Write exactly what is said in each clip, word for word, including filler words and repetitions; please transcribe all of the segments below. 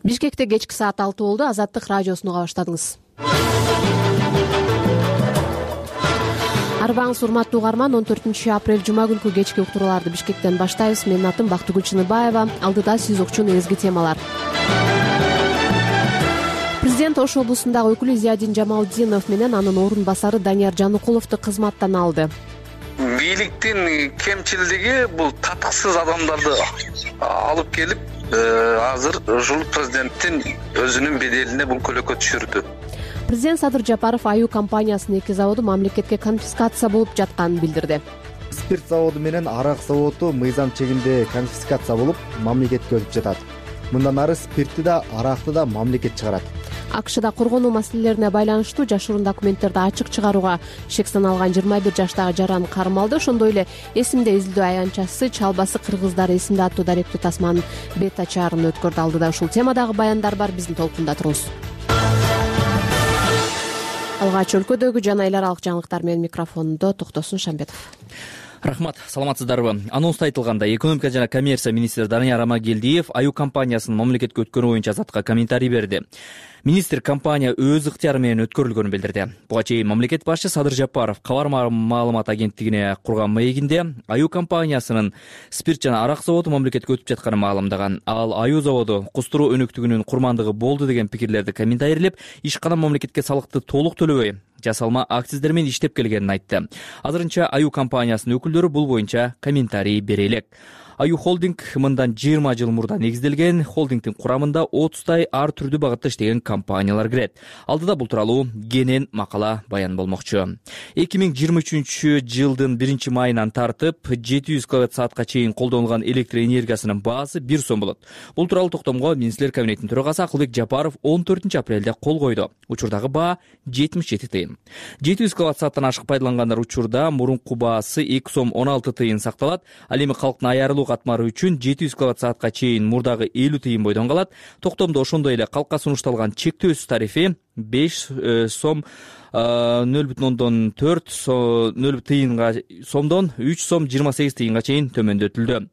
Бишкекте кечки саат алты болду. Азаттык радиосуну уга баштадыңыз. Арбаңыз урматтуу угарман, он төртүнчү апрель жума күнкү кечки уктурууларды Бишкектен баштайбыз. Менин атым Бактыгүл Чыныбаева. Алдыда сиз укчу негизги темалар. Президент Ош облусундагы өкүлү Зиядин Жамалдинов менен анын орун басары Данияр Жаныкуловду кызматтан алды. Бийликтин кемчилдиги бул татыксыз адамдарды алып келип, азыр ушул президенттин өзүнүн беделине бул көлөкө түшүрдү. Президент Садыр Жапаров Аю компаниясынын эки заводу мамлекетке конфискация болуп жатканын билдирди. Спирт заводу менен арак заводу мыйзам чегинде конфискация болуп, мамлекетке өтүп жатат. Мындан ары спиртти да, аракты да мамлекет чыгарат. АКШда коргонуу маселелерине байланыштуу жашыруун документтерди ачык чыгарууга шек саналган жыйырма бир жаштагы жаран кармалды. Ошондой эле эсимде изилдөө аянтчасы Чалбасы кыргыздары эсимде аттуу даректүү тасманын бета чаарын өткөрдү. Алдыда ушул темадагы баяндар бар, биздин толкунда туруңуз. Алгач өлкөдөгү жана эл аралык жаңылыктар менен микрофондо Токтосун Шамбетов. Рахмат, саламатсыздарбы? Анонста айтылгандай, экономика жана коммерция министри Данияр Амагелдиев Аю компаниясынын мамлекетке өткөрүү боюнча Азатка комментарий берди. Министр компания өз ыктыяры менен өткөрүлгөнүн билдирди. Буга чейин мамлекет башчы Садыр Жапаров кабар маалымат агенттигине курган маегинде Аю компаниясынын спирт жана арак заводу мамлекетке өтүп жатканын маалымдаган. Ал Аю заводу кустуруу өнүктүгүнүн курмандыгы болду деген пикирлерди комментарийлеп, ишкана мамлекетке салыкты толук төлөбөй, жасалма акциздер менен иштеп келгенин айтты. Азырынча Аю компаниясынын өкүлдөрү бул боюнча комментарий бере элек. Аю холдинг мындан жыйырма жыл мурда негизделген. Холдингдин курамында отуздай ар түрдүү багытта иштеген компаниялар кирет. Алдыда бул тууралуу кенен макала баян болмокчу. эки миң жыйырма үчүнчү жылдын биринчи майынан тартып жети жүз киловатт саатка чейин колдонулган электр энергиясынын баасы бир сом болот. Бул тууралуу токтомго Министрлер кабинетинин төрагасы Акылбек Жапаров он төртүнчү апрелде кол койду. Учурдагы баа жетимиш жети тыйын. жети жүз киловатт сааттан ашык пайдалангандар учурда мурунку баасы эки сом он алты тыйын сакталат. Ал эми калктын аярылуу катмары үчүн жети жүз киловатт саатка чейин мурдагы элүү тыйын бойдон калат. Токтомдо ошондой эле калкка сунушталган чектөөсүз тарифи беш сом нөл бүтүн ондон төрт нөл тыйынга сомдон үч сом жыйырма сегиз тыйынга чейин төмөндөтүлдү.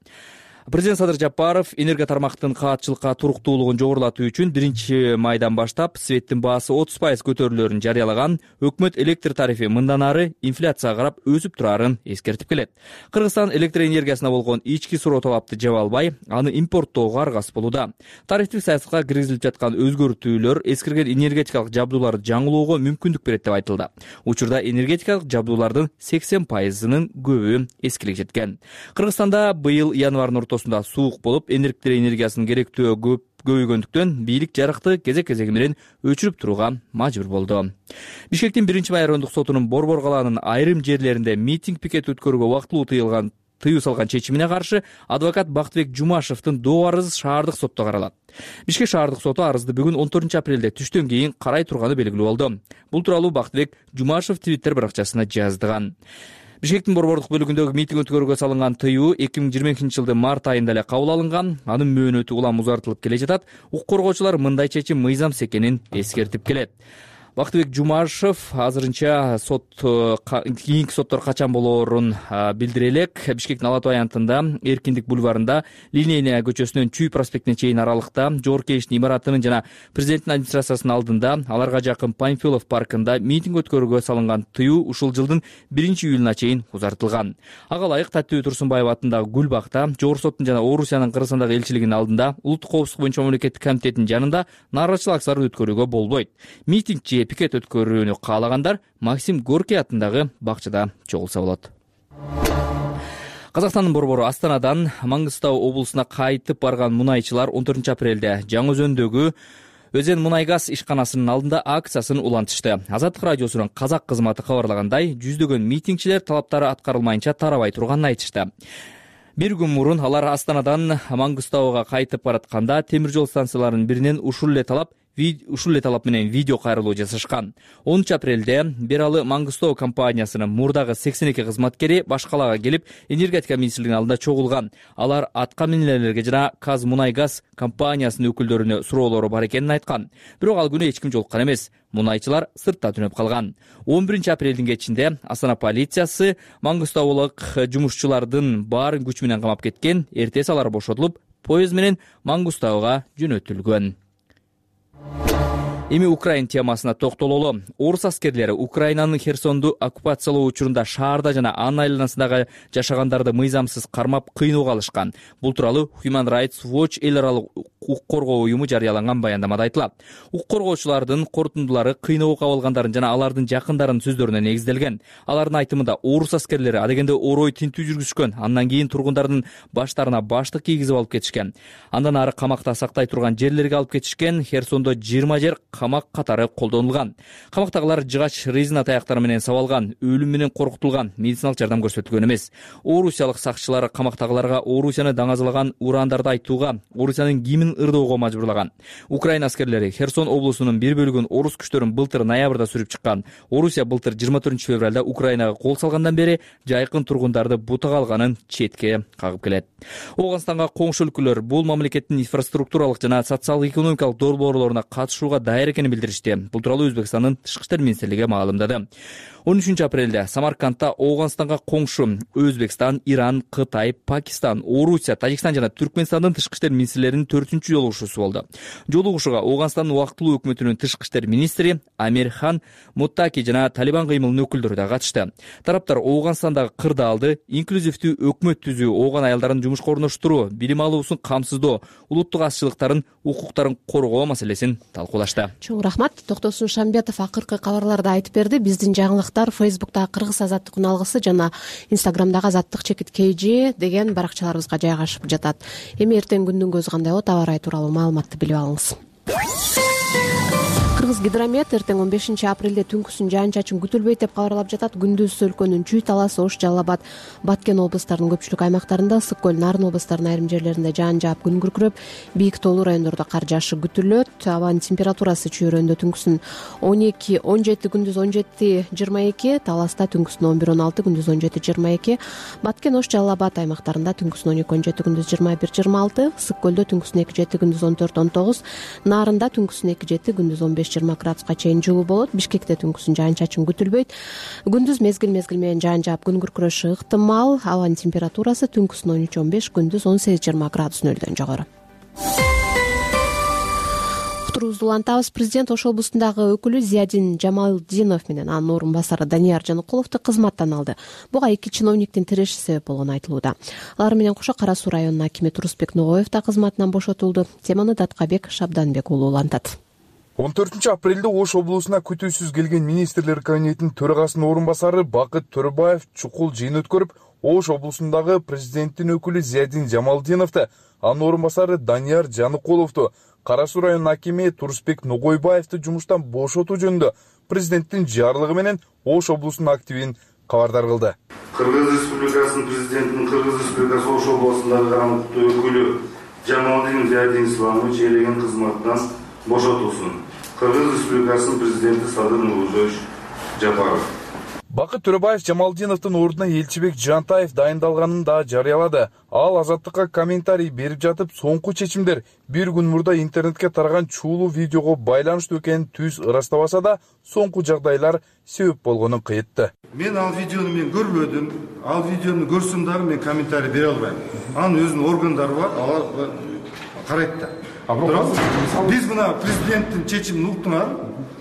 Президент Садыр Жапаров энергия тармактын каатчылыкка туруктуулугун жогорулатуу үчүн биринчи майдан баштап светтин баасы отуз пайыз көтөрүлөөрүн жарыялаган. Өкмөт электр тарифи мындан ары инфляцияга карап өсүп турарын эскертип келет. Кыргызстан электр энергиясына болгон ички суроо талапты жаба албай, аны импорттоого аргасыз болууда. Тарифтик саясатка киргизилип жаткан өзгөртүүлөр эскирген энергетикалык жабдууларды жаңылоого мүмкүндүк берет деп айтылды. Учурда энергетикалык жабдуулардын сексен пайызынын көбү эскилик жеткен. Кыргызстанда быйыл январдын ортосунда суук болуп, электр энергиясынын керектөө көп көбөйгөндүктөн бийлик жарыкты кезек-кезеги менен өчүрүп турууга мажбур болду. Бишкектин биринчи май райондук сотунун Борбор калаанын айрым жерлеринде митинг пикет өткөрүүгө вактылуу тыйылган тыюу салган чечимине каршы адвокат Бактыбек Жумашевдин доо арызы шаардык сотто каралат. Бишкек шаардык соту арызды бүгүн он төртүнчү апрелде түштөн кийин карай турганы белгилүү болду. Бул тууралуу Бактыбек Жумашев Твиттер баракчасына жаздыган. Бишкектин борбордук бөлүгүндөгү митинг өткөрүүгө салынган тыюу эки миң жыйырма экинчи жылдын март айында эле кабыл алынган. Анын мөөнөтү улам узартылып келе жатат. Укук коргоочулар мындай чечим мыйзамсыз экенин эскертип келет. Бактыбек Жумашев азырынча сот кийинки соттор качан болоорун билдире элек. Бишкектин Ала Тоо аянтында, Эркиндик бульварында, Линейная көчөсүнөн Чүй проспектине чейин аралыкта, Жогорку Кеңештин имаратынын жана президенттин администрациясынын алдында, аларга жакын Панфилов паркында митинг өткөрүүгө салынган тыюу ушул жылдын биринчи июлуна чейин узартылган. Ага ылайык Таттыбек Турсунбаев атындагы Гүлбакта, Жогорку соттун жана Орусиянын Кыргызстандагы элчилигинин алдында, Улуттук коопсуздук боюнча мамлекеттик комитеттин жанында нааразычылык акцияларын өткөрүүгө болбойт. Митингчи пикет өткөрүүнү каалагандар Максим Горький атындагы бакчада чогулса болот. Казакстандын борбору Астанадан Маңгыстау облусуна кайтып барган мунайчылар он төртүнчү апрелде Жаңы Өзөндөгү Өзен мунай газ ишканасынын алдында акциясын улантышты. Азаттык радиосунун казак кызматы кабарлагандай, жүздөгөн митингчилер талаптары аткарылмайынча тарабай турганын айтышты. Бир күн мурун алар Астанадан Маңгыстауга кайтып баратканда темир жол станцияларынын биринен ушул эле талап ушул эле талап менен видео кайрылуу жасашкан. онунчу апрелде Бералы Маңгыстоо компаниясынын мурдагы сексен эки кызматкери башкалага келип, энергетика министрлигинин алдында чогулган. Алар атка минелерге жана Казмунайгаз компаниясынын өкүлдөрүнө суроолору бар экенин айткан. Бирок ал күнү эч ким жолуккан эмес. Мунайчылар сыртта түнөп калган. он биринчи апрелдин кечинде Астана полициясы маңгыстаулык жумушчулардын баарын күч менен камап кеткен. Эртеси алар бошотулуп, поезд менен Маңгыстауга жөнөтүлгөн. Эми Украин темасына токтололу. Орус аскерлери Украинанын Херсонду оккупациялоо учурунда шаарда жана анын айланасындагы жашагандарды мыйзамсыз кармап кыйноого алышкан. Бул тууралуу Human Rights Watch эл аралык укук коргоо уюму жарыялаган баяндамада айтылат. Укук коргоочулардын корутундулары кыйноого кабылгандардын жана алардын жакындарынын сөздөрүнө негизделген. Алардын айтымында орус аскерлери адегенде орой тинтүү жүргүзүшкөн, андан кийин тургундардын баштарына баштык кийгизип алып кетишкен. Андан ары камакта сактай турган жерлерге алып кетишкен. Херсондо жыйырма жер камак катары колдонулган. Камактагылар жыгач резина таяктар менен сабалган, өлүм менен коркутулган, медициналык жардам көрсөтүлгөн эмес. Орусиялык сакчылар камактагыларга Орусияны даңазалаган урандарды айтууга, Орусиянын гимнин ырдоого мажбурлаган. Украина аскерлери Херсон облусунун бир бөлүгүн орус күчтөрүн былтыр ноябрда сүрүп чыккан. Орусия былтыр жыйырма төртүнчү февралда Украинага кол салгандан бери жайкын тургундарды бутага алганын четке кагып келет. Ооганстанга коңшу өлкөлөр бул мамлекеттин инфраструктуралык жана социалдык экономикалык долбоорлоруна катышууга даяр экенин билдиришти. Бул тууралуу Өзбекстандын тышкы иштер министрлиги маалымдады. он үчүнчү апрелде Самаркандта Ооганстанга коңшу Өзбекстан, Иран, Кытай, Пакистан, Орусия, Тажикстан жана Түркмөнстандын тышкы иштер министрлеринин төртүнчү жолугушуусу болду. Жолугушууга Ооганстандын убактылуу өкмөтүнүн тышкы иштер министри Амирхан Муттаки жана Талибан кыймылынын өкүлдөрү да катышты. Тараптар Ооганстандагы кырдаалды, инклюзивдүү өкмөт түзүү, ооган аялдарын жумушка орноштуруу, билим алуусун камсыздоо, улуттук азчылыктардын укуктарын коргоо маселесин талкуулашты. Чоң рахмат. Токтосун Шамбетов акыркы кабарларда айтып берди. Биздин жаңылыктар Фейсбуктагы Кыргыз азаттык алгысы жана Инстаграмдагы азаттык чекит kg деген баракчаларыбызга жайгашып жатат. Эми эртең күндүн көзү кандай болот, аба ырайы тууралуу маалыматты билип алыңыз. Кыргыз гидромет эртең он бешинчи апрелде түнкүсүн жаан-чачын күтүлбөйт деп кабарлап жатат. Күндүз өлкөнүн Чүй, Талас, Ош, Жалал Абад, Баткен облустарынын көпчүлүк аймактарында, Ысык көл, Нарын облустарынын айрым жерлеринде жаан жаап, күн күркүрөп, бийик тоолуу райондордо кар жаашы күтүлөт. Абанын температурасы Чүй районунда түнкүсүн он эки он жети, күндүз он жети жыйырма эки, Таласта түнкүсүн он бир он алты, күндүз он жети жыйырма эки, Баткен, Ош, Жалал Абад аймактарында түнкүсүн он эки он жети, күндүз жыйырма бир жыйырма алты, Ысык көлдө түнкүсүн эки жети, күндүз он төрт он тогуз, Нарында түнкүсүн эки жети, күндүз он беш жыйырма градуска чейин жылуу болот. Бишкекте түнкүсүн жаан-чачын күтүлбөйт. Күндүз мезгил мезгил менен жаан жаап, күн күркүрөшү ыктымал. Абанын температурасы түнкүсүн он үч он беш, күндүз он сегиз жыйырма градус нөлдөн жогору. Уктуруубузду улантабыз. Президент Ош облусундагы өкүлү Зиядин Жамалдинов менен анын орун басары Данияр Жаныкуловду кызматтан алды. Буга эки чиновниктин тиреши себеп болгону айтылууда. Алар менен кошо Кара Суу районунун акими Турусбек Ногоев да кызматынан бошотулду. Теманы Даткабек Шабданбек уулу улантат. он төртүнчү апрелде Ош облусуна күтүүсүз келген министрлер кабинетинин төрагасынын орун басары Бакыт Төрөбаев чукул жыйын өткөрүп, Ош облусундагы президенттин өкүлү Зиядин Жамалдиновду, анын орун басары Данияр Жаныкуловду, Кара Суу районунун акими Турусбек Ногойбаевди жумуштан бошотуу жөнүндө президенттин жарлыгы менен Ош облусунун активин кабардар кылды. Кыргыз Республикасынын президентинин Кыргыз Республикасы Ош облусундагы кандыктуу өкүлү Жамалдин Зиядин Исламович ээлеген кызматтан бошотулсун. Кыргыз Республикасынын президенти Садыр Нурузович Жапаров. Бакыт Төрөбаев Жамалдиновдун ордуна Элчибек Жантаев дайындалганын да жарыялады. Ал азаттыкка комментарий берип жатып, соңку чечимдер бир күн мурда интернетке тараган чуулуу видеого байланыштуу экенин түз ырастабаса да, соңку жагдайлар себеп болгонун кыйытты. Мен ал видеону мен көрбөдүм. Ал видеону көрсөм дагы мен комментарий бере албайм. Анын өзүнүн органдары бар, алар карайт да. Биз мына президенттин чечимин уктуңар.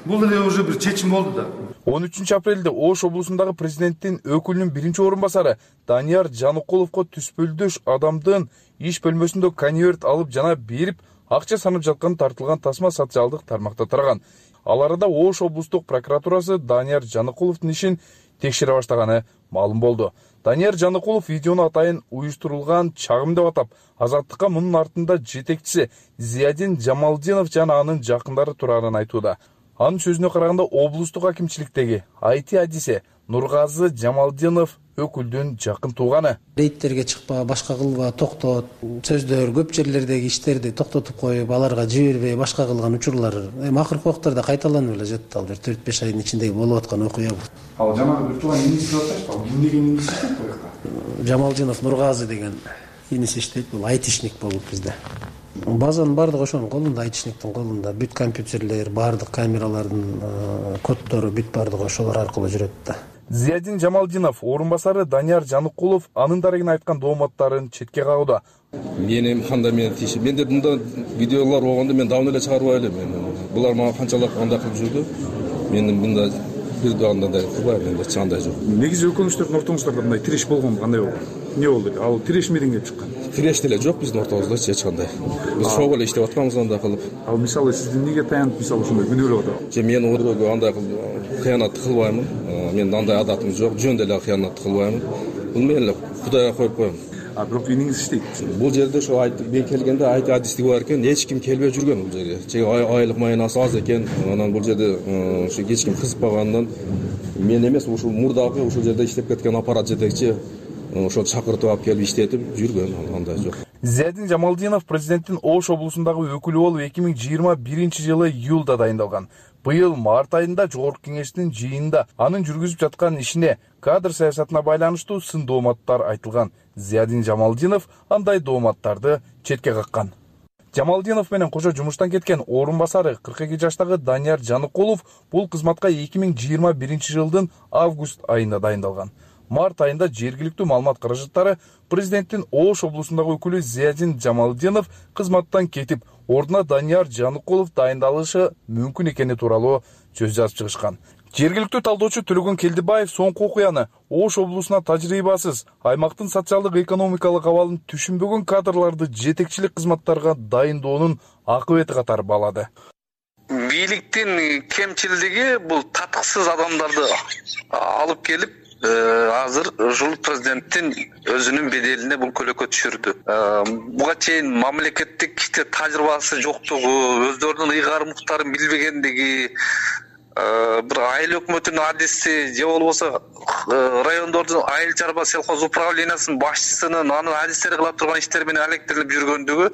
Бул эле уже бир чечим болду да. он үчүнчү апрелде Ош облусундагы президенттин өкүлүнүн биринчи орун басары Данияр Жаныкуловго түспөлдөш адамдын иш бөлмөсүндө конверт алып жана берип, акча санап жатканы тартылган тасма социалдык тармакта тараган. Ал арада Ош облустук прокуратурасы Данияр Жаныкуловдун ишин текшере баштаганы маалым болду. Данияр Жаныкулов видеону атайын уюштурулган чагым деп атап, азаттыкка мунун артында жетекчиси Зиядин Жамалдинов жана анын жакындары турарын айтууда. Анын сөзүнө караганда, облустук акимчиликтеги ай ти адиси Нургазы Жамалдинов өкүлдүн жакын тууганы. Рейдтерге чыкпа, башка кылба, токтот, сөздөр көп жерлердеги иштерди токтотуп коюп, аларга жибербей, башка кылган учурлар эми акыркы убактарда кайталанып эле жатат. Ал бир төрт беш айдын ичинде болуп аткан окуя бул. Ал жанагы бир тууган иниси деп атышты. Ал ким деген иниси деп коюкта. Жамалдинов Нургазы деген иниси иштейт. Бул айтишник болуп бизде. Базанын баардыгы ошонун колунда, айтишниктин колунда. Бүт компьютерлер, баардык камералардын коддору бүт баардыгы ошолор аркылуу жүрөт да. Зиядин Жамалдинов орун басары Данияр Жаныкулов анын дарегине айткан дооматтарын четке кагууда. Мен эми кандай мен тиши. Менде мындай видеолор болгондо мен давно эле чыгарбай элем. булар мага канчалык андай кылып жүрдү, мен мында бир андай кылбайм, менде эч кандай жок. Негизи өкүнүчтөрдүн ортоңуздарда мындай тиреш болгон кандай болду? Эмне болду? Ал тиреш эмнеден келип чыккан? Тиреш деле жок биздин ортобузда эч кандай. Биз шоу эле иштеп атканбыз андай кылып. Ал мисалы сиз эмнеге таянып мисалы ошондой күнөөлөп атасыз? Же мен ордого андай кыянат кылбаймын. Менин андай адатым жок, жөн деле кыянат кылбаймын. Бул мен эле Кудайга коюп коем. А бирок ийниңиз иштейт. Бул жерде ошо айтып мен келгенде айт адистик бар экен, эч ким келбей жүргөн бул жерге. Же айлык майнасы аз экен, анан бул жерде ошо эч ким кызыкпагандан мен эмес, ушул мурдагы ушул жерде иштеп кеткен аппарат жетекчи ошол чакыртып алып келип иштетип жүргөн, андай жок. Зиядин Жамалдинов президенттин Ош облусундагы өкүлү болуп эки миң жыйырма биринчи жылы июлда дайындалган. Быйыл март айында жогорку кеңештин жыйынында анын жүргүзүп жаткан ишине, кадр саясатына байланыштуу сын дооматтар айтылган. Зиядин Жамалдинов андай дооматтарды четке каккан. Жамалдинов менен кошо жумуштан кеткен орун басары кырк эки жаштагы Данияр Жаныкулов бул кызматка эки миң жыйырма биринчи жылдын август айында дайындалган. Март айында жергиликтүү маалымат каражаттары президенттин Ош облусундагы өкүлү Зиядин Жамалдинов кызматтан кетип, ордуна Данияр Жаныкулов дайындалышы мүмкүн экени тууралуу сөз жазып чыгышкан. Жергиликтүү талдоочу Төлөгөн Келдибаев соңку окуяны Ош облусуна тажрыйбасыз, аймактын социалдык экономикалык абалын түшүнбөгөн кадрларды жетекчилик кызматтарга дайындоонун акыбети катары баалады. Бийликтин кемчилдиги бул татыксыз адамдарды алып келип азыр ушул президенттин өзүнүн беделине бул көлөкө түшүрдү. Буга чейин мамлекеттик тажрыйбасы жоктугу, өздөрүнүн ыйгар муктарын билбегендиги, бир айыл өкмөтүнүн адиси же болбосо райондордун айыл чарба сельхоз управлениясынын башчысынын анын адистери кыла турган иштери менен алектелип жүргөндүгү,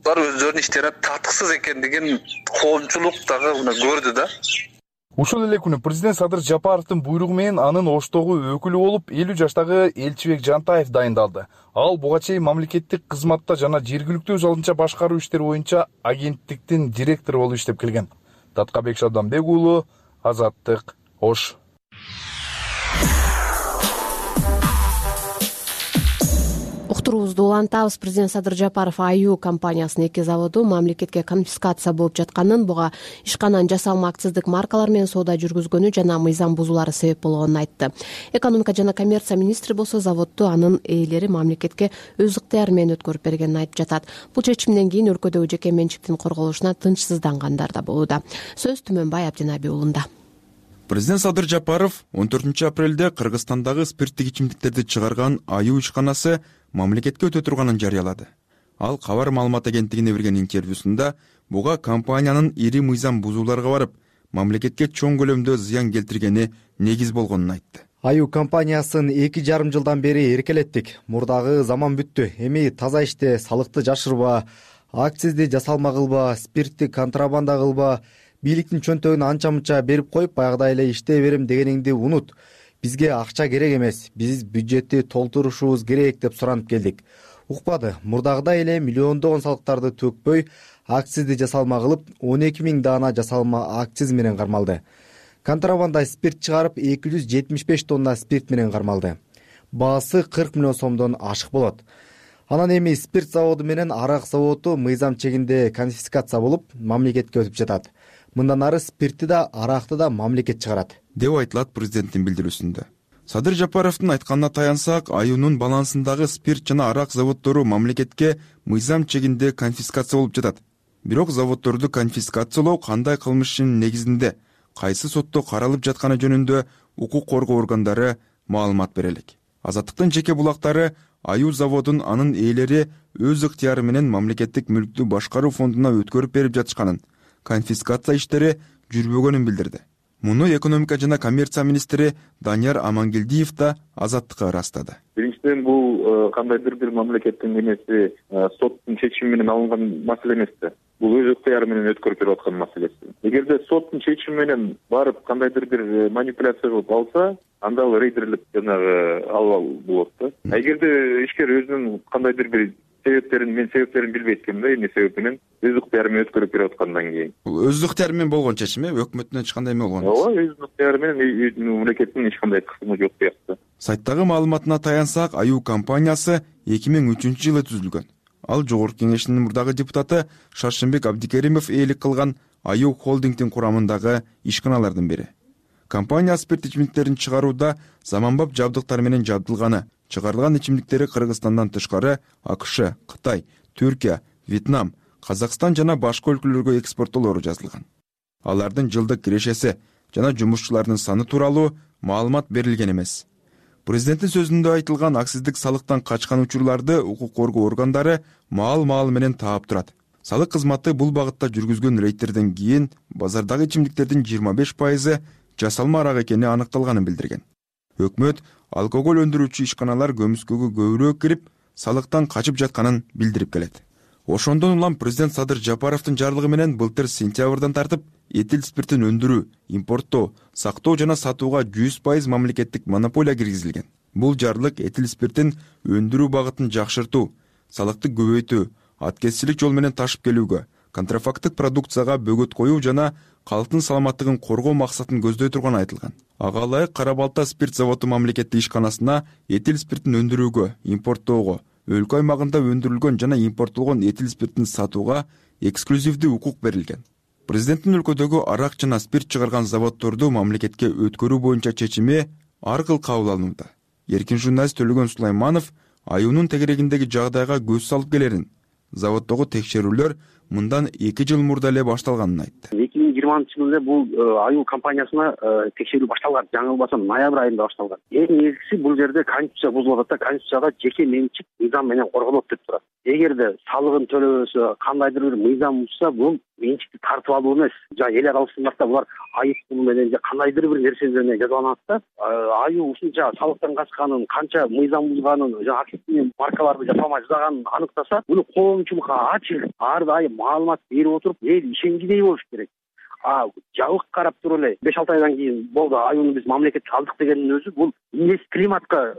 алар өздөрүнүн иштери татыксыз экендигин коомчулук дагы көрдү да. Ушул эле күнү президент Садыр Жапаровдун буйругу менен анын Оштогу өкүлү болуп элүү жаштагы Элчибек Жантаев дайындалды. Ал буга чейин мамлекеттик кызматта жана жергиликтүү өз алдынча башкаруу иштери боюнча агенттиктин директору болуп иштеп келген. Таткабек Шабданбек уулу, Азаттык, Ош. Уктуруубузду улантабыз. Президент Садыр Жапаров Аю компаниясынын эки заводу мамлекетке конфискация болуп жатканын, буга ишканан жасалма акциздик маркалар менен соода жүргүзгөнү жана мыйзам бузуулары себеп болгонун айтты. Экономика жана коммерция министри болсо заводду анын ээлери мамлекетке өз ыктыяры менен өткөрүп бергенин айтып жатат. Бул чечимден кийин өлкөдөгү жеке менчиктин корголушуна тынчсыздангандар да болууда. Сөз Түмөнбай Абдинаби уулунда. Президент Садыр Жапаров он төртүнчү апрелде Кыргызстандагы спирттик ичимдиктерди чыгарган Аю ишканасы мамлекетке өтө турганын жарыялады. Ал Кабар маалымат агенттигине берген интервьюсунда буга компаниянын ири мыйзам бузууларга барып, мамлекетке чоң көлөмдө зыян келтиргени негиз болгонун айтты. Аю компаниясын эки жарым жылдан бери эркелеттик. Мурдагы заман бүттү. Эми таза иште салыкты жашырба, акцизди жасалма кылба, спиртти контрабанда кылба, бийликтин чөнтөгүн анча-мынча берип коюп, баягыдай эле иштей берем дегениңди унут. Бизге акча керек эмес, биз бюджетти толтурушубуз керек деп суранып келдик. Укпады. Мурдагыдай эле миллиондогон салыктарды төкпөй, акцизди жасалма кылып, он эки миң даана жасалма акциз менен кармалды. Контрабанда спирт чыгарып, эки жүз жетимиш беш тонна спирт менен кармалды. Баасы кырк миллион сомдон ашык болот. Анан эми спирт заводу менен арак заводу мыйзам чегинде конфискация болуп, мамлекетке өтүп жатат. Мындан ары спиртти да, аракты да мамлекет чыгарат, деп айтылат президенттин билдирүүсүндө. Садыр Жапаровдун айтканына таянсак, Аюнун балансындагы спирт жана арак заводдору мамлекетке мыйзам чегинде конфискация болуп жатат. Бирок заводдорду конфискациялоо кандай кылмыштын негизинде, кайсы сотто каралып жатканы жөнүндө укук коргоо органдары маалымат бере элек. Азаттыктын жеке булактары Аю заводун анын ээлери өз ыктыяры менен мамлекеттик мүлктү башкаруу фондуна өткөрүп берип жатышканын, конфискация иштери жүрбөгөнүн билдирди. Муну экономика жана коммерция министри Данияр Амангелдиев да Азаттыкка ырастады. Биринчиден, бул кандайдыр бир мамлекеттин эмеси, соттун чечими менен алынган маселе эмес. Бул өз ыктыяры менен өткөрүп берип аткан маселеси. Эгерде соттун чечими менен барып кандайдыр бир манипуляция кылып алса, анда ал рейдерлик жанагы албал болот да. Эгерде ишкер өзүнүн кандайдыр бир себептерин, мен себептерин билбейт экенмин да, эмне себеп менен өз ыктыяры менен өткөрүп берип аткандан кийин. Бул өз ыктыяры менен болгон чечим, өкмөттүн эч кандай эме болгон эмес. Ооба, өз ыктыяры менен мамлекеттин эч кандай кысымы жок сыяктуу. Сайттагы маалыматына таянсак, Аю компаниясы эки миң үчүнчү жылы түзүлгөн. Ал жогорку кеңештин мурдагы депутаты Шаршембек Абдикеримов ээлик кылган аю холдингдин курамындагы ишканалардын бири. Компания спирт ичимдиктерин чыгарууда заманбап жабдыктар менен жабдылганы, чыгарылган ичимдиктери Кыргызстандан тышкары АКШ, Кытай, Түркия, Вьетнам, Казакстан жана башка өлкөлөргө экспорттолору жазылган. Алардын жылдык кирешеси жана жумушчулардын саны тууралуу маалымат берилген эмес. Президенттин сөзүндө айтылган акциздик салыктан качкан учурларды укук коргоо органдары маал-маал менен таап турат. Салык кызматы бул багытта жүргүзгөн рейдтерден кийин базардагы ичимдиктердин жыйырма беш пайызы жасалма арак экени аныкталганын билдирген. Өкмөт алкоголь өндүрүүчү ишканалар көмүскөгө көбүрөөк кирип, салыктан качып жатканын билдирип келет. Ошондон улам президент Садыр Жапаровдун жарлыгы менен былтыр сентябрдан тартып этил спиртин өндүрүү, импорттоо, сактоо жана сатууга жүз пайыз мамлекеттик монополия киргизилген. Бул жарлык этил спиртин өндүрүү багытын жакшыртуу, салыкты көбөйтүү, аткезчилик жол менен ташып келүүгө, контрафакттык продукцияга бөгөт коюу жана калктын саламаттыгын коргоо максатын көздөй турганы айтылган. Ага ылайык Кара Балта спирт заводу мамлекеттик ишканасына этил спиртин өндүрүүгө, импорттоого, өлкө аймагында өндүрүлгөн жана импорттолгон этил спиртин сатууга эксклюзивдүү укук берилген. Президенттин өлкөдөгү арак жана спирт чыгарган заводдорду мамлекетке өткөрүү боюнча чечими ар кыл кабыл алынууда. Эркин журналист Төлөгөн Сулайманов аюунун тегерегиндеги жагдайга көз салып келерин, заводдогу текшерүүлөр мындан эки жыл мурда эле башталганын айтты. эки миң жыйырманчы жылы бул аю компаниясына текшерүү башталган. Жаңы болбосом ноябрь айында башталган. Эң негизгиси бул жерде конституция бузулуп атат да, конституцияда жеке менчик мыйзам менен корголот деп турат. Эгерде салыгын төлөбөсө, кандайдыр бир мыйзам бузса, бул менчикти тартып алуу эмес. Жана эл аралык стандартта булар айып пул менен же кандайдыр бир нерсе менен жазаланат да. Аю ушунча салыктан качканын, канча мыйзам бузганын, жана активдүү маркаларды жасалмай жазаганын аныктаса, буну коомчулукка ачык, ар дайым маалымат берип отуруп, эл ишенгидей болуш керек. А жабык карап туруп эле беш алты айдан кийин болду, аюуну биз мамлекетке алдык дегендин өзү бул эмес климатка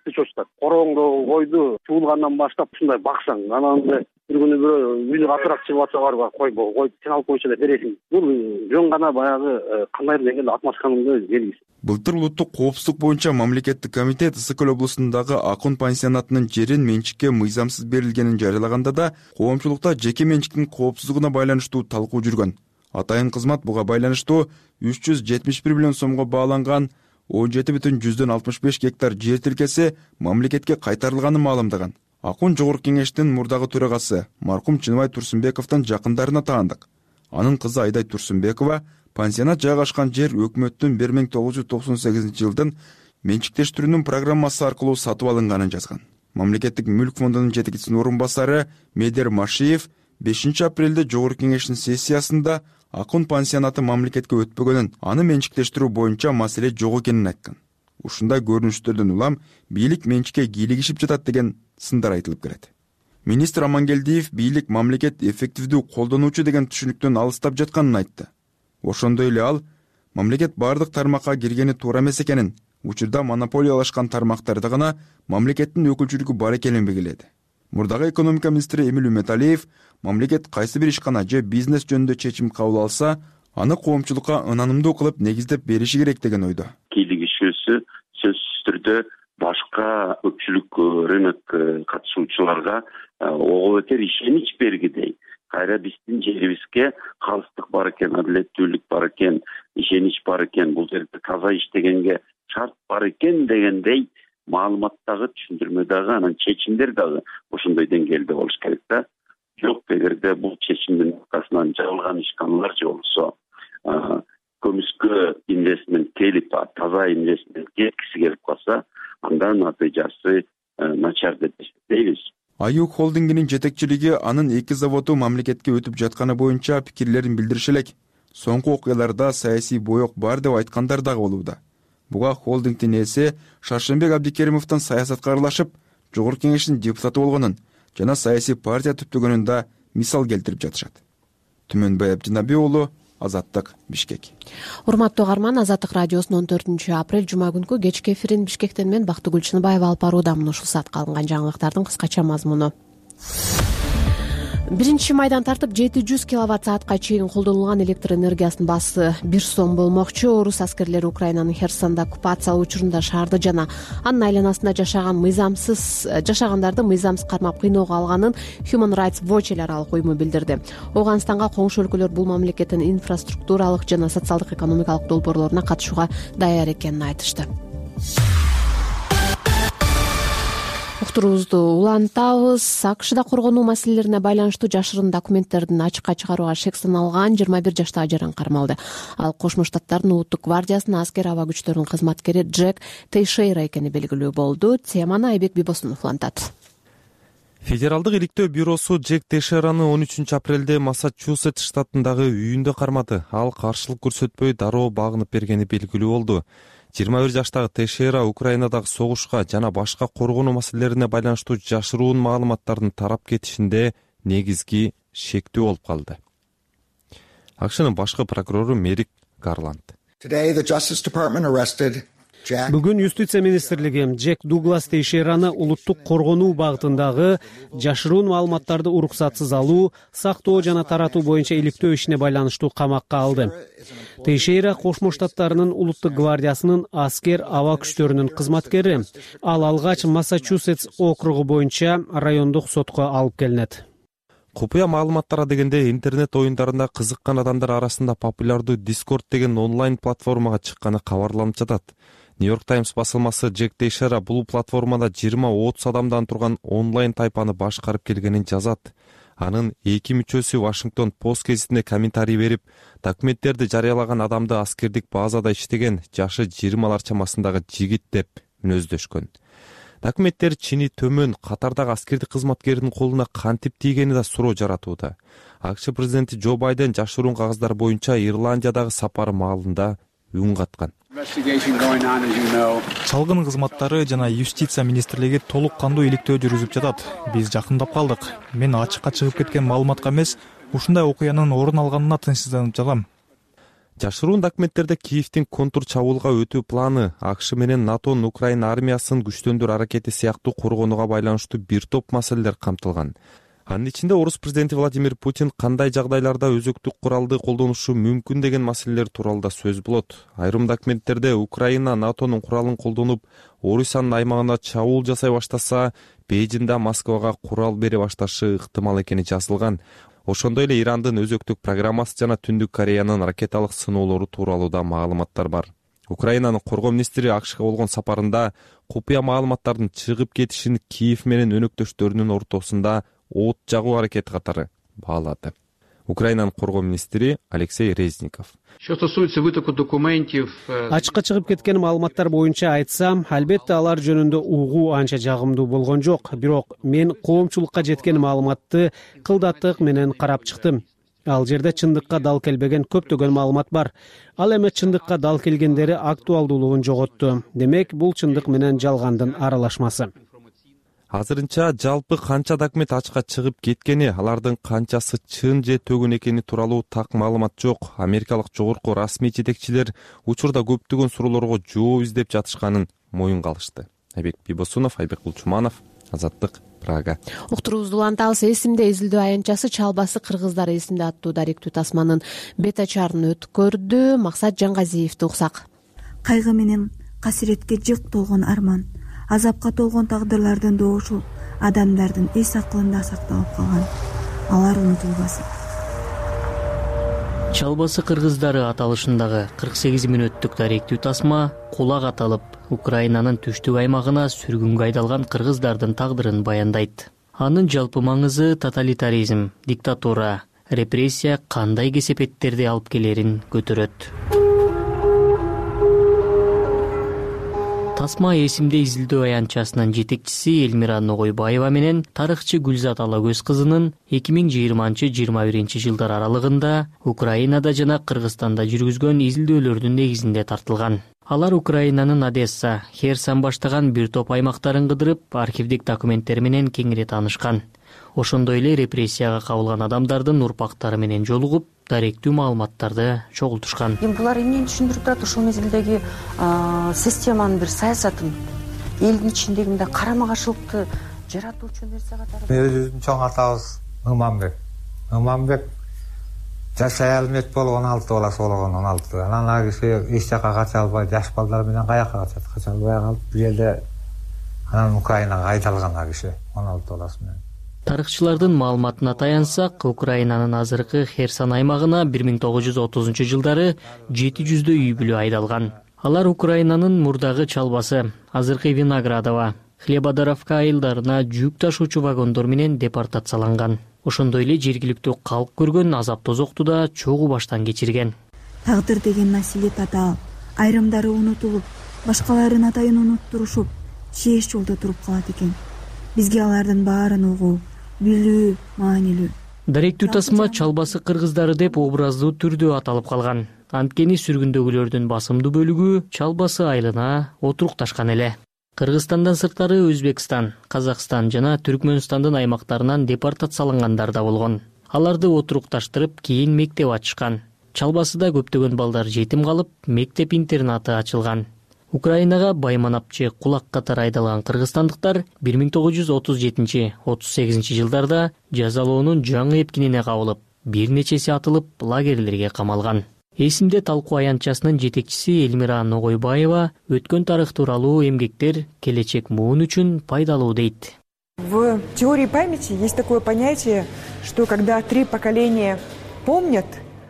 тыч очтат. Корооңду койду, туулгандан баштап ушундай баксаң, анан бир күнү бирөө үйүнө катырак чыгып атса барбы, кой кой сен алып койчу деп бересиң. Бул жөн гана баягы кандайдыр деңгээлде атмашканын белгиси. Былтыр улуттук коопсуздук боюнча мамлекеттик комитет Ысык-Көл облусундагы Акун пансионатынын жерин менчикке мыйзамсыз берилгенин жарыялаганда да коомчулукта жеке менчиктин коопсуздугуна байланыштуу талкуу жүргөн. Атайын кызмат буга байланыштуу үч жүз жетимиш бир миллион сомго бааланган он жети бүтүн жүздөн алтымыш беш гектар жер тилкеси мамлекетке кайтарылганын маалымдаган. Акун жогорку кеңештин мурдагы төрагасы маркум Чыныбай Турсунбековдун жакындарына таандык. Анын кызы Айдай Турсунбекова пансионат жайгашкан жер өкмөттүн бир миң тогуз жүз токсон сегизинчи жылдын менчиктештирүүнүн программасы аркылуу сатып алынганын жазган. Мамлекеттик мүлк фондунун жетекчисинин орун басары Медер Машиев бешинчи апрелде жогорку кеңештин сессиясында Акун пансионаты мамлекетке өтпөгөнүн, аны менчиктештирүү боюнча маселе жок экенин айткан. Ушундай көрүнүштөрдөн улам бийлик менчикке кийлигишип жатат деген сындар айтылып келет. Министр Амангелдиев бийлик мамлекет эффективдүү колдонуучу деген түшүнүктөн алыстап жатканын айтты. Ошондой эле ал мамлекет бардык тармакка киргени туура эмес экенин, учурда монополиялашкан тармактарда гана мамлекеттин өкүлчүлүгү бар экенин белгиледи. Мурдагы экономика министри Эмил Үмөталиев мамлекет кайсы бир ишкана же бизнес жөнүндө чечим кабыл алса, аны коомчулукка ынанымдуу кылып негиздеп бериши керек деген ойдо. Кийлигишүүсү сөзсүз түрдө башка көпчүлүк рынок катышуучуларга ого бетер ишенич бергидей. Кайра биздин жерибизге калыстык бар экен, адилеттүүлүк бар экен, ишенич бар экен, бул жерде таза иштегенге шарт бар экен дегендей маалыматтагы, түшүндүрмөдөгү, анан чечимдер дагы ошондой деңгээлде болуш керек да. Жок, эгерде бул чечимдин аркасынан жабылган ишканалар же болсо көмүскө инвестмент келип, таза инвестмент кеткиси келип калса, андан натыйжасы начар деп эсептейбиз. Аю холдингинин жетекчилиги анын эки заводу мамлекетке өтүп жатканы боюнча пикирлерин билдириши элек. Соңку окуяларда саясий боек бар деп айткандар дагы болууда. Буга холдингдин ээси Шаршембек Абдикеримовдун саясатка аралашып, жогорку кеңештин депутаты болгонун жана саясий партия түптөгөнүн да мисал келтирип жатышат. Түмөнбай Абдинаби уулу, Азаттык, Бишкек. Урматтуу угарман, Азаттык радиосунун он төртүнчү апрель жума күнкү кечки эфирин Бишкектен мен Бактыгүл Чыныбаева алып барууда. Мына ушул саатка алынган жаңылыктардын кыскача мазмуну. биринчи майдан тартып жети жүз киловатт саатка чейин колдонулган электр энергиясынын баасы бир сом болмокчу. Орус аскерлери Украинанын Херсонда оккупациялоо учурунда шаарды жана анын айланасында жашаган мыйзамсыз жашагандарды мыйзамсыз кармап кыйноого алганын Human Rights Watch эл аралык уюму билдирди. Ооганстанга коңшу өлкөлөр бул мамлекеттин инфраструктуралык жана социалдык экономикалык долбоорлоруна катышууга даяр экенин айтышты. Уктуруубузду улантабыз. АКШда коргонуу маселелерине байланыштуу жашырын документтердин ачыкка чыгарууга шек саналган жыйырма бир жаштагы жаран кармалды. Ал Кошмо Штаттардын улуттук гвардиясынын аскер аба күчтөрүнүн кызматкери Джек Тейшейра экени белгилүү болду. Теманы Айбек Бибосунов улантат. Федералдык иликтөө бюросу Джек Тейшейраны он үчүнчү апрелде Массачусетс штатындагы үйүндө кармады. Ал каршылык көрсөтпөй дароо багынып бергени белгилүү болду. жыйырма бир жаштагы Тейшейра Украинадагы согушка жана башка коргонуу маселелерине байланыштуу жашыруун маалыматтардын тарап кетишинде негизги шектүү болуп калды. АКШнын башкы прокурору Мерик Гарланд. Бүгүн Юстиция министрлиги Джек Дуглас Тейшейраны улуттук коргонуу багытындагы жашыруун маалыматтарды уруксатсыз алуу, сактоо жана таратуу боюнча иликтөө ишине байланыштуу камакка алды. Тейшейра Кошмо Штаттарынын улуттук гвардиясынын аскер аба күчтөрүнүн кызматкери. Ал алгач Массачусетс округу боюнча райондук сотко алып келинет. Купуя маалыматтара дегенде интернет оюндарында кызыккан адамдар арасында популярдуу Discord деген онлайн платформага чыкканы кабарланып жатат. Нью-Йорк Таймс басылмасы Джек Тейшейра бул платформада жыйырма отуз адамдан турган онлайн тайпаны башкарып келгенин жазат. Анын эки мүчөсү Вашингтон Пост гезитине комментарий берип, документтерди жарыялаган адамды аскердик базада иштеген жашы жыйырмалар чамасындагы жигит деп мүнөздөшкөн. Документтер чини төмөн катардагы аскердик кызматкердин колуна кантип тийгени да суроо жаратууда. АКШ президенти Джо Байден жашыруун кагаздар боюнча Ирландиядагы сапары маалында үн каткан. Чалгын кызматтары жана юстиция министрлиги толук кандуу иликтөө жүргүзүп жатат. Биз жакындап калдык. Мен ачыкка чыгып кеткен маалыматка эмес, ушундай окуянын орун алганына тынчсызданып жатам. Жашыруун документтерде Киевдин контур чабуулга өтүү планы, АКШ менен НАТОнун Украина армиясын күчтөндүрүү аракети сыяктуу коргонууга байланыштуу бир топ маселелер камтылган. Анын ичинде орус президенти Владимир Путин кандай жагдайларда өзөктүк куралды колдонушу мүмкүн деген маселелер тууралуу да сөз болот. Айрым документтерде Украина НАТОнун куралын колдонуп, Орусиянын аймагына чабуул жасай баштаса, Бейжиңде Москвага курал бере башташы ыктымал экени жазылган. Ошондой эле Ирандын өзөктүк программасы жана Түндүк Кореянын ракеталык сыноолору тууралуу да маалыматтар бар. Украинанын коргоо министри АКШга болгон сапарында купуя маалыматтардын чыгып кетишин Киев менен өнөктөштөрүнүн ортосунда от жагуу аракети катары баалады. Украинанын коргоо министри Алексей Резников. Ачыкка чыгып кеткен маалыматтар боюнча айтсам, албетте алар жөнүндө угуу анча жагымдуу болгон жок. Бирок мен коомчулукка жеткен маалыматты кылдаттык менен карап чыктым. Ал жерде чындыкка дал келбеген көптөгөн маалымат бар. Ал эми чындыкка дал келгендери актуалдуулугун жоготту. Демек, бул чындык менен жалгандын аралашмасы. Азырынча жалпы канча документ ачыкка чыгып кеткени, алардын канчасы чын же төгүн экени тууралуу так маалымат жок. Америкалык жогорку расмий жетекчилер учурда көптөгөн суроолорго жооп издеп жатышканын моюнга алышты. Айбек Бибосунов, Айбек Кулчуманов, Азаттык, Прага. Уктуруубузду улантабыз. Эсимде изилдөө аянтчасы Чалбасы кыргыздар эсимде аттуу даректүү тасманын бет ачарын өткөрдү. Максат Жангазиевди уксак. Кайгы менен касиретке жык толгон арман, азапка толгон тагдырлардын доошу адамдардын эс акылында сакталып калган. Алар унутулбасын. Чалбасы кыргыздары аталышындагы кырк сегиз мүнөттүк даректүү тасма кулак аталып, Украинанын түштүк аймагына сүргүнгө айдалган кыргыздардын тагдырын баяндайт. Анын жалпы маңызы тоталитаризм, диктатура, репрессия кандай кесепеттерди алып келерин көтөрөт. Тасма эсимде изилдөө аянтчасынын жетекчиси Элмира Ногойбаева менен тарыхчы Гүлзат Алагөз кызынын эки миң жыйырманчы жыйырма биринчи жылдар аралыгында Украинада жана Кыргызстанда жүргүзгөн изилдөөлөрдүн негизинде тартылган. Алар Украинанын Одесса, Херсон баштаган бир топ аймактарын кыдырып, архивдик документтер менен кеңири таанышкан. Ошондой эле репрессияга кабылган адамдардын урпактары менен жолугуп, даректүү маалыматтарды чогултушкан. Эми булар эмнени түшүндүрүп турат? Ошол мезгилдеги системанын бир саясатын, элдин ичиндеги мындай карама каршылыкты жаратуучу нерсе катары. Өзүбүздүн чоң атабыз Ымамбек. Ымамбек жашай алмайт болуп он алты баласы болгон, он алты. Анан ал киши эч жака кача албай, жаш балдар менен каяка качат? Кача албай калып, бул жерде анан Украинага айдалган ал киши он алты баласы менен. Тарыхчылардын маалыматына таянсак, Украинанын азыркы Херсон аймагына бир миң тогуз жүз отузунчу жылдары жети жүздөй үй бүлө айдалган. Алар Украинанын мурдагы чалбасы, азыркы Виноградово, Хлебодаровка айылдарына жүк ташуучу вагондор менен депортацияланган. Ошондой эле жергиликтүү калк көргөн азап тозокту да чогуу баштан кечирген. Тагдыр деген маселе татаал. Айрымдары унутулуп, башкаларын атайын унуттурушуп, чееш жолдо туруп калат экен. Бизге алардын баарын угуу, билүү маанилүү. Даректүү тасма чалбасы кыргыздары деп образдуу түрдө аталып калган. Анткени сүргүндөгүлөрдүн басымдуу бөлүгү чалбасы айылына отурукташкан эле. Кыргызстандан сырткары Өзбекстан, Казакстан жана Түркмөнстандын аймактарынан депортациялангандар да болгон. Аларды отурукташтырып, кийин мектеп ачышкан. Чалбасыда көптөгөн балдар жетим калып, мектеп-интернаты ачылган. Украинага байманапчы кулак катары айдалган кыргызстандыктар бир миң тогуз жүз отуз жетинчи — отуз сегизинчи жылдарда жазалоонун жаңы эпкинине кабылып, бир нечеси атылып, лагерлерге камалган. Эсимде талкуу аянтчасынын жетекчиси Эльмира Ногойбаева өткөн тарых тууралуу эмгектер келечек муун үчүн пайдалуу дейт. В теории памяти есть такое понятие, что когда три поколения помнят.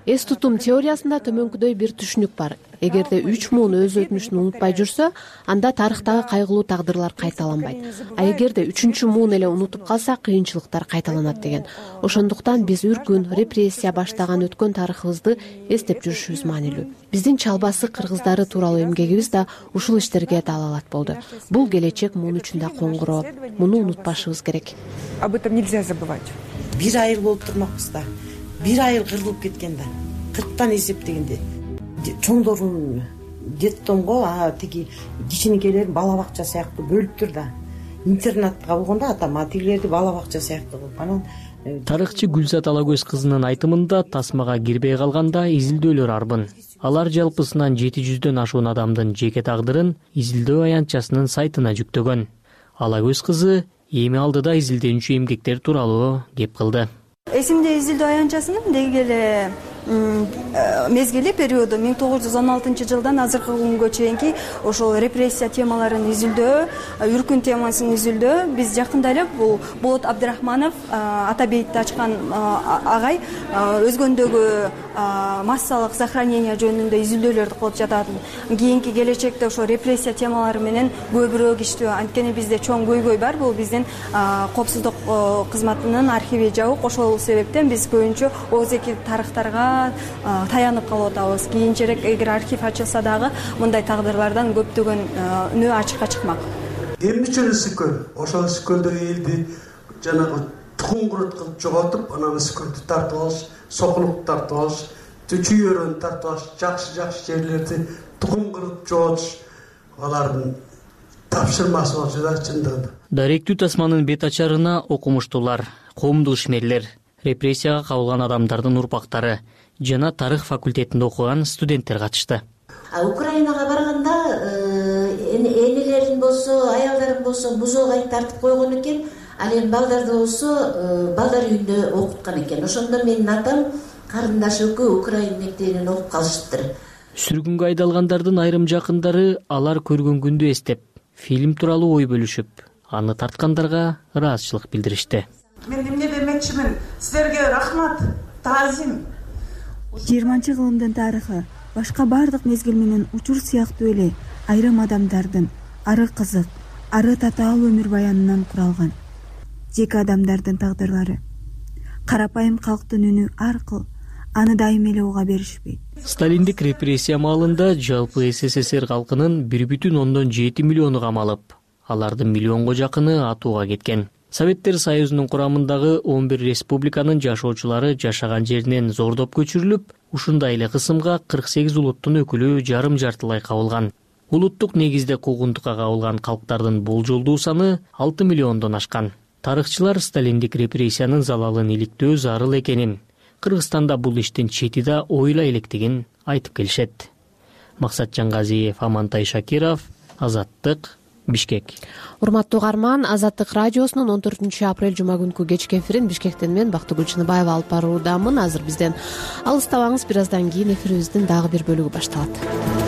Эс тутум теориясында төмөнкүдөй бир түшүнүк бар. Эгерде үч муун өз өтмүшүн унутпай жүрсө, анда тарыхтагы кайгылуу тагдырлар кайталанбайт. А эгерде үчүнчү муун эле унутуп калса, кыйынчылыктар кайталанат деген. Ошондуктан биз үркүн, репрессия баштаган өткөн тарыхыбызды эстеп жүрүшүбүз маанилүү. Биздин чалбасы кыргыздары тууралуу эмгегибиз да ушул иштерге далалат болду. Бул келечек муун үчүн да коңгуроо. Муну унутпашыбыз керек. Об этом нельзя забывать. Бир айыл болуп турмакпыз да. Бир айыл кырылып кеткен да. кырктан эсептегенде. Чоңдорун детдомго, а тиги кичинекейлерин бала бакча сыяктуу бөлүптүр да. Интернатка болгондо атам атилерди бала бакча сыяктуу кылып анан. Тарыхчы Гүлзат Алагөз кызынын айтымында тасмага кирбей калганда изилдөөлөр арбын. Алар жалпысынан жети жүздөн ашуун адамдын жеке тагдырын изилдөө аянтчасынын сайтына жүктөгөн. Алагөз кызы эми алдыда изилденүүчү эмгектер тууралуу кеп кылды. Эсимде изилдөө аянтчасынын деги эле мезгили периоду миң тогуз жүз он алтынчы жылдан азыркы күнгө чейинки ошол репрессия темаларын изилдөө, үркүн темасын изилдөө. Биз жакында эле бул Болот Абдрахманов Атабейтти ачкан агай өзгөндөгү массалык сохранение жөнүндө изилдөөлөрдү кылып жатат. Кийинки келечекте ошо репрессия темалары менен көбүрөөк иштөө. Анткени бизде чоң көйгөй бар. Бул биздин коопсуздук кызматынын архиви жабык. Ошол себептен биз көбүнчө ооздеги тарыхтарга таянып калып атабыз. Кийинчерээк эгер архив ачылса дагы мындай тагдырлардан көптөгөн үнөө ачыкка чыкмак. Эмне үчүн Ысыккөл? Ошол Ысыккөлдөгү элди жанагы тукум курут кылып жоготуп, анан Ысыккөлдү тартып алыш, Сокулукту тартып алыш, Чүйөрөнү тартып алыш, жакшы-жакшы жерлерди тукум куруп жоготуш алардын тапшырмасы болчу да чындыгында. Даректүү тасманын бет ачарына окумуштуулар, коомдук ишмерлер, репрессияга кабылган адамдардын урпактары жана тарых факультетинде окуган студенттер катышты. Украинага барганда энелерин болсо, аялдарын болсо музейге тартып койгон экен. Ал эми балдарды болсо балдар үйүндө окуткан экен. Ошондо менин атам карындаш экөө Украин мектебинен окуп калышыптыр. Сүргүнгө айдалгандардын айрым жакындары алар көргөн күндү эстеп, фильм тууралуу ой бөлүшүп, аны тарткандарга ыраазычылык билдиришти. Мен эмне демекчимин? Силерге рахмат, таазим. жыйырманчы кылымдын тарыхы башка бардык мезгил менен учур сыяктуу эле айрым адамдардын ары кызык, ары татаал өмүр баянынан куралган. Жеке адамдардын тагдырлары карапайым калктын үнү аркыл аны дайым эле уга беришпейт. Сталиндик репрессия маалында жалпы СССР калкынын бир бүтүн ондон жети миллиону камалып, алардын миллионго жакыны атууга кеткен. Советтер Союзунун курамындагы он бир республиканын жашоочулары жашаган жеринен зордоп көчүрүлүп, ушундай эле кысымга кырк сегиз улуттун өкүлү жарым жартылай кабылган. Улуттук негизде куугунтукка кабылган калктардын болжолдуу саны алты миллиондон ашкан. Тарыхчылар Сталиндик репрессиянын залалын иликтөө зарыл экенин, Кыргызстанда бул иштин чети да ойлой электигин айтып келишет. Максат Жангазиев, Амантай Шакиров, Азаттык, Бишкек. Урматтуу угарман, Азаттык радиосунун он төртүнчү апрель жума күнкү кечки эфирин Бишкектен мен Бактыгүл Чыныбаева алып баруудамын. Азыр бизден алыстабаңыз, бир аздан кийин эфирибиздин дагы бир бөлүгү башталат.